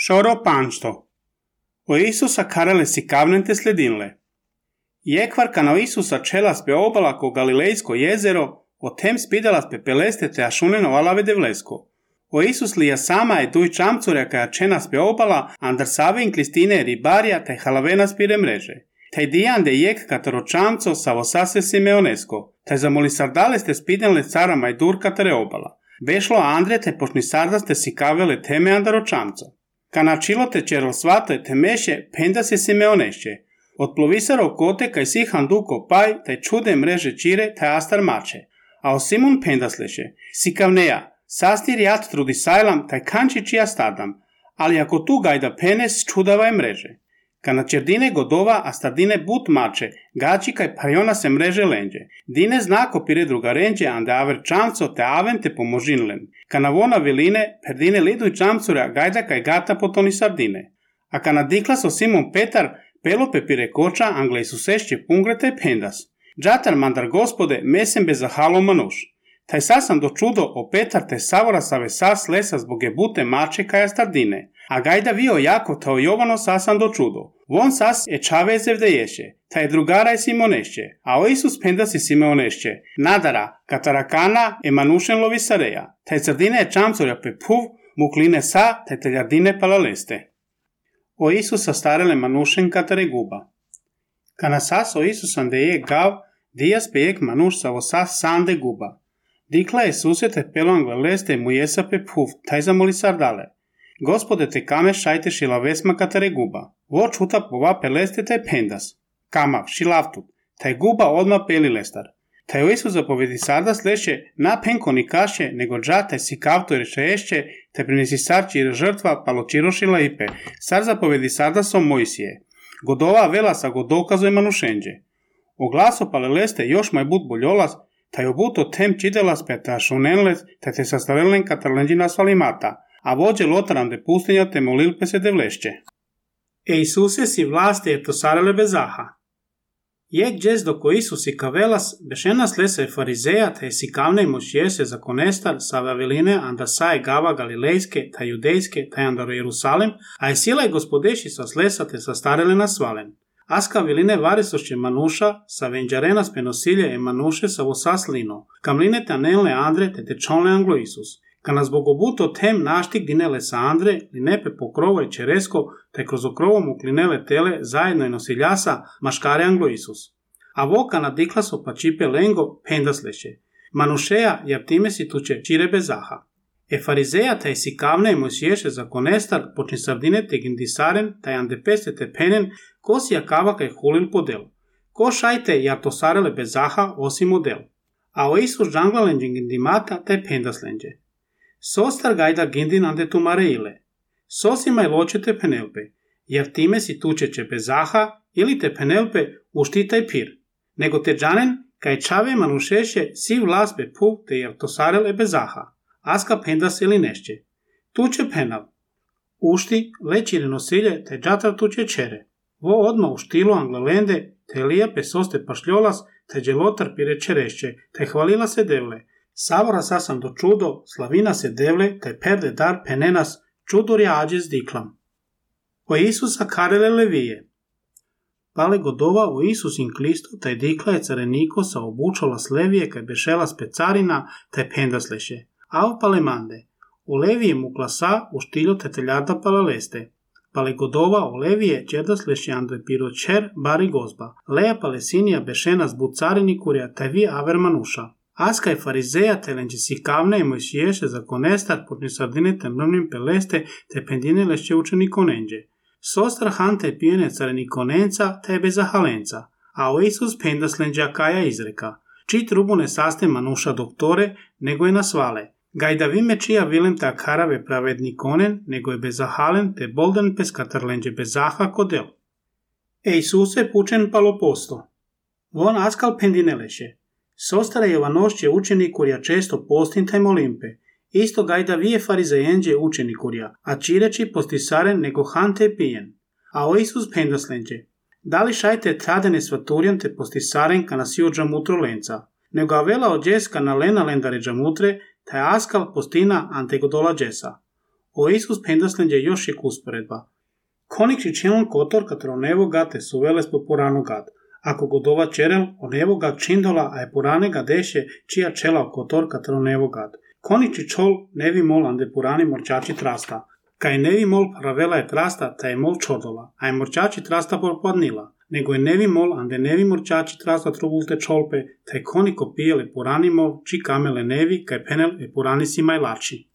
Șoro panšto. O Isusa karele si kavnente sledinle. Jekvar kana Isusa čelas pe obala ko Galilejsko jezero, o tem spidalas pe peleste te ašuneno alave devlesko. O Isus lija sama e tuj čamcurja kaja čenas pe obala, andar savin klistine ribarja te halavenas pire mreže. Taj dijan de jek kataro čamco savo sase Simeonesko, taj zamoli sardales te spidenle cara majdur katare obala. Vešlo Andre te pošni sardas te si kavele teme andaro čamco. Kana čilo te čerl svate te meše, penda se Simeonešće. Od plovisarov kote kaj si handuko paj, taj čude mreže čire, taj astar mače. A o Simon pendasleše, si kavneja, sastir jat trudi sajlam, taj kanči čija stadam, ali ako tu gajda penes čudavaj mreže. Kana čerdine godova, a stardine but mače, gači kaj parjona se mreže lenđe. Dine znako pire druga renđe, ande aver čamco te aven te pomožinlen. Kana vona viline, perdine lidu i čamcura, gajda kaj gata potoni sardine. A kana diklas o Simon Petar, pelope pire koča, angle Isusešće pungrete pendas. Džatar mandar gospode, mesem bez zahalo manuš. Taj sasan do čudo o Petar te savora save sas lesa zbog bute mače kaja stardine. A gajda vio jako tao Jovano sasan do čudo. Von sas e čaveze vdeješe, taj drugara je Simonešće, a o Isus pendas je Simeonešće. Nadara, katarakana e manušen lovisareja, taj sardine je čamcurja pe puv, mukline sa, taj teljardine palaleste. O Isusa starele manušen katare guba. Kana sas o Isusan de je gav, dijas pe jek manuš savo sas sande guba. Dikla je susete peloangle leste mu jesa pe puv, taj zamoli sardale. Gospode te kame šajte šila vesma katare guba. Vo čuta pova peleste taj pendas. Kamav, šilavtut, taj guba odma peli lestar. Taj o Isus zapovedi sardas leše na penko ni kaše, nego dža taj si kavto rešeešće, taj prinesi sarči ir žrtva paločirošila ipe. Sar zapovedi sardasom Mojsije. Godova vela sa godokazoj manušenđe. O glaso paleleste još maj but boljolas, taj obuto tem čidelas peta šunenles, taj te sastavelen katarlenđina svalimata. A vođe lotaran de pustinja te molilpe se devlešće. E Isuse si vlasti je to sarele bezaha. Jek džez doko Isus i kavelas, bešenas lese farizeja, te si kavne i mošjese za konestar, sa vaveline anda saje gava galilejske, ta judejske, ta andaro Jerusalim, a je sila i gospodeši sa slesa te sa starele na svalen. Aska viline varisošće manuša, sa venđarena spenosilje e manuše sa vosas lino, kamline tanelne andre te tečonle anglo Isus. Kana zbog obuto tem naštik dinele sa Andre, linepe pokrovo i čeresko, te kroz okrovom uklinele tele zajedno i nosiljasa, maškare anglo Isus. A vo kana diklaso pa čipe lengo, pendasleše. Manušeja, jer time si tuče čire bezaha. E farizeja taj si kavne i mojsiješe za konestar, počni sardine te gindisaren, taj ande peste te penen, ko si jakava kaj hulil podel. Ko šajte jar to sarele bezaha osim model. A o Isus džanglalenđe gindimata taj pendaslenđe. Sostar gajda gindin ande tu mareile. Sosima i loče te penelpe, jer time si tučeće bezaha ili te penelpe uštitaj pir. Nego te džanen, kaj čave manušeše si vlas be puv te jer to sarele bezaha. Aska pendas ili nešće. Tuče penav. Ušti, lećire nosilje, te džatar tuče čere. Vo odmah u štilu anglelende, te lijepe soste pašljolas, te dželotar pire čerešće, te hvalila se devle. Savora sasam do čudo, slavina se devle, te perde dar penenas, čudurja ađe zdiklam. O Isusa karele levije. Pale godova o Isus in Klisto, taj dikla je careniko sa obučola slevije, kaj bešela specarina, taj pendasleše. Av pale mande. O levije mu klasa, u štiljo te teljarda palaleste. Pale godova o levije, čerdasleše andre piro čer, bari gozba. Leja palesinija bešena zbud carinikurja, taj vi aver manuša. Aska je farizeja telenđe si kavne i mojsiješe za konestar potni sardine te mrvnim peleste te pendine lešće učeni konenđe. Sostra hante pijene careni konenca te bez zahalenca, a o Isus pendaslenđa kaja izreka. Čit rubu ne saste manuša doktore, nego je na svale. Gajda vime čija vilem ta karave pravedni konen, nego je bez zahalen te boldan peskatarlenđe bez zaha kodel. E Isuse pučen paloposto. Von askal pendine leše. Sostara Jovanošće učenikurja često postintaj molimpe. Isto gajda vije farizejenđe učenikurja, a čireći postisaren nego hante pijen. A o Isus pendaslenđe. Da li šajte tradene svaturjan te postisaren kana si od džamutro lenca. Nego avela od džeska na lena lendare džamutre, taj askal postina ante godola džesa. O Isus pendaslenđe još je usporedba. Konikši čelon kotor katro nevo gate su veles po porano gat. Ako godova čerel, o nevo gat čindola, a je porane ga deše, čija čela kotor katro nevo gat. Koniči čol nevi mol ande porani morčači trasta. Kaj nevi mol pravela je trasta, ta je mol čodola, a je morčači trasta porpadnila. Nego je nevi mol ande nevi morčači trasta trovulte čolpe, ta je koniko pijele porani mol, či kamele nevi, kaj penel e porani si majlači.